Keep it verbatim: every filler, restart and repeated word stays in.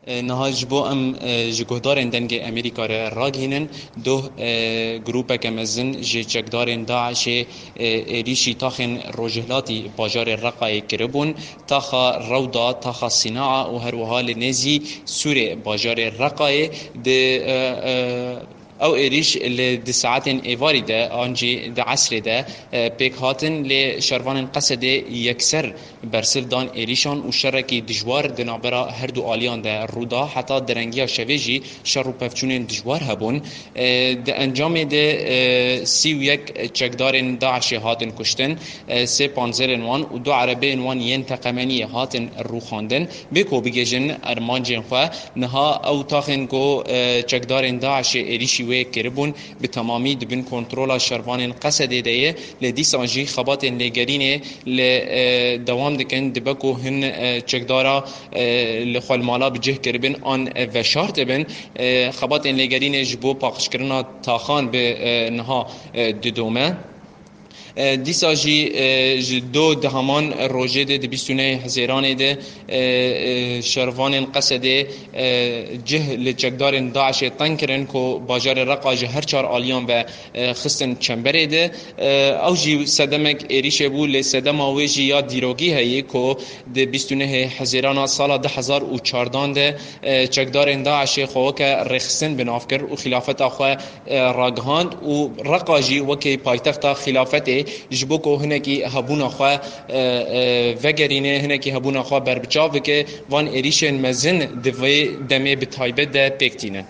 E, niha ji bo em, e, ji guhdarên Dengê Amerîka re ragihînin, doh, e, grûpeke mezin ji çekdarên DAIŞê, e, êrîşî taxên rojhilatî bajarê Reqayê kiribûn, taxa Rewda, taxa Sînaa û her wiha li nêzî Sûrê bajarê Reqayê di, e, e, ew êrîş li di saetên êvarî de an jî di esrê de, e, pêk hatin, lê şervanên Qesedê yekser bersiv dan êrîşan û şerekî dijwar di navbera her du aliyan de rû da. Heta derengiya şevê jî şer û pevçûnên dijwar hebûn. E, di encamê de, e, sî û yek çekdarên DAIŞê hatin kuştin, e, sê panzerên wan û du erebeyên wan yên teqemeniyê hatin rûxandin. Bê ku bigihîjin armancên xwe, niha ew taxên ku, e, çekdarên DAIŞê êrîşî wê kiribûn, bi temamî di bin kontrola şervanên Qesedê de ye. Lê dîsan jî xebatên lêgerînê li, e, dewam dikin. Dibe ku hin, e, çekdara, e, li xwe li mala bi cih kiribin an, e, veşart dibin. E, xebatên lêgerînê ji bo paqijkirina taxan bi, e, niha, e, didome. E, dîsa jî, e, ji do di heman rojê de, di bîst û nehê Hezêranê de, e, e, şervanên Qesedê, e, cih li çekdarên DAIŞê teng kirin ku bajarê Reqa ji her çar aliyan ve, e, xistin çemberê de. E, ew jî sedemek êrîşê bû, lê sedema wê jî ya dîrokî heye ku di bîst û nehê Hezêrana sala du hezar û çardan de, e, çekdarên DAIŞê xwe weke rêxistin bi nav kir û xîlafeta xwe, e, ragihand û Reqa jî wekî paytexta xîlafetê ji bo ku hinekî hebûna xwe, e, e, vegerîne, hinekî hebûna xwe berbiçav bike, van êrîşên mezin di vê demê bi taybet de pêk tînin.